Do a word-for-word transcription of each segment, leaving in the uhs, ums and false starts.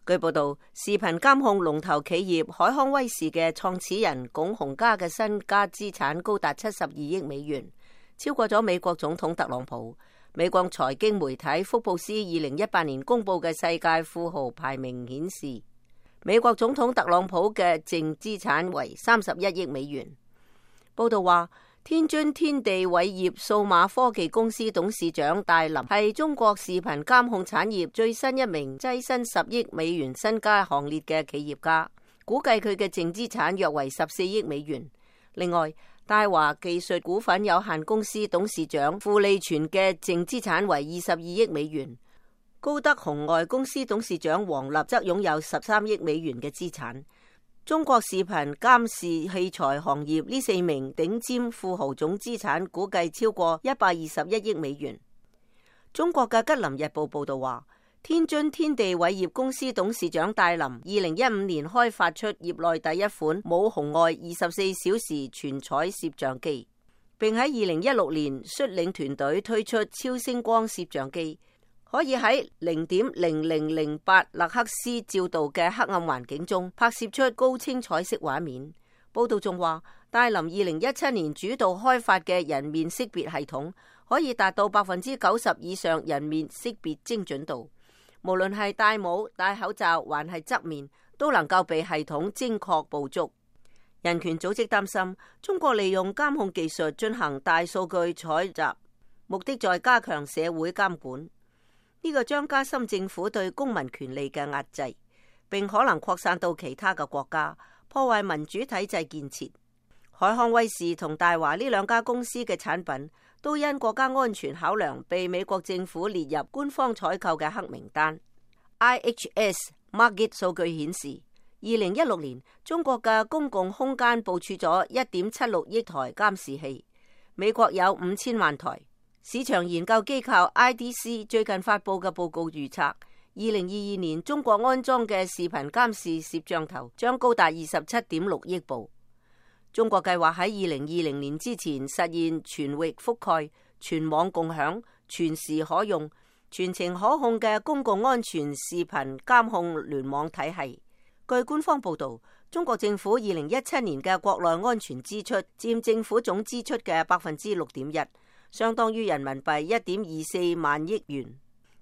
據報道，視頻監控龍頭企業海康威視嘅創始人龔洪嘉嘅身家資產高達七十二億美元，超過咗美國總統特朗普。美國財經媒體福布斯二零一八年公布嘅世界富豪排名顯示，美國總統特朗普嘅淨資產為三十一億美元。報道話，天津天地偉業數碼科技公司董事長戴林係中國視頻監控產業最新一名躋身十億美元身家行列嘅企業家，估計佢嘅淨資產約為十四億美元。另外，大華技術股份有限公司董事長傅利全嘅淨資產為二十二億美元，高德紅外公司董事長王立則擁有十三億美元嘅資產。中國視頻監視器材行業呢四名頂尖富豪總資產估計超過一百二十一億美元。中國嘅吉林日報報道話，天津天地偉業公司董事長戴林二零一五年開發出業內第一款冇紅外二十四小時全彩攝像機，並喺二零一六年率領團隊推出超聲光攝像機，可以喺零點零零零八勒克斯照度嘅黑暗環境中拍攝出高清彩色畫面。報道仲話，戴林二零一七年主導開發嘅人面識別系統可以達到百分之九十以上人面識別精準度，無論係戴帽、戴口罩還係側面，都能夠被系統精確捕捉。人權組織擔心，中國利用監控技術進行大數據採集，目的在加強社會監管。呢個將加深政府對公民權利嘅壓制，並可能擴散到其他嘅國家，破壞民主體制建設。海康威視同大華呢兩家公司嘅產品都因國家安全考量被美國政府列入官方採購嘅黑名單。I H S Markit 數據顯示，二零一六年中國嘅公共空間部署咗一點七六億台監視器，美國有五千萬台。市場研究機構 I D C 最近發布嘅報告預測，二零二二年中國安裝嘅視頻監視攝像頭將高達二十七點六億部。中國計劃喺二零二零年之前實現全域覆蓋、全網共享、全時可用、全程可控嘅公共安全視頻監控聯網體系。據官方報道，中國政府二零一七年嘅國內安全支出佔政府總支出嘅百分之六點一。相當於人民幣一點二四萬億元，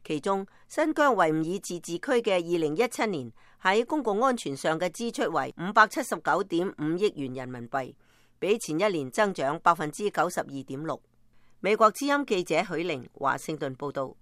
其中新疆維吾爾自治區嘅二零一七年喺公共安全上嘅支出為五百七十九點五億元人民幣，比前一年增長百分之九十二點六。美國之音記者許玲華盛頓報道。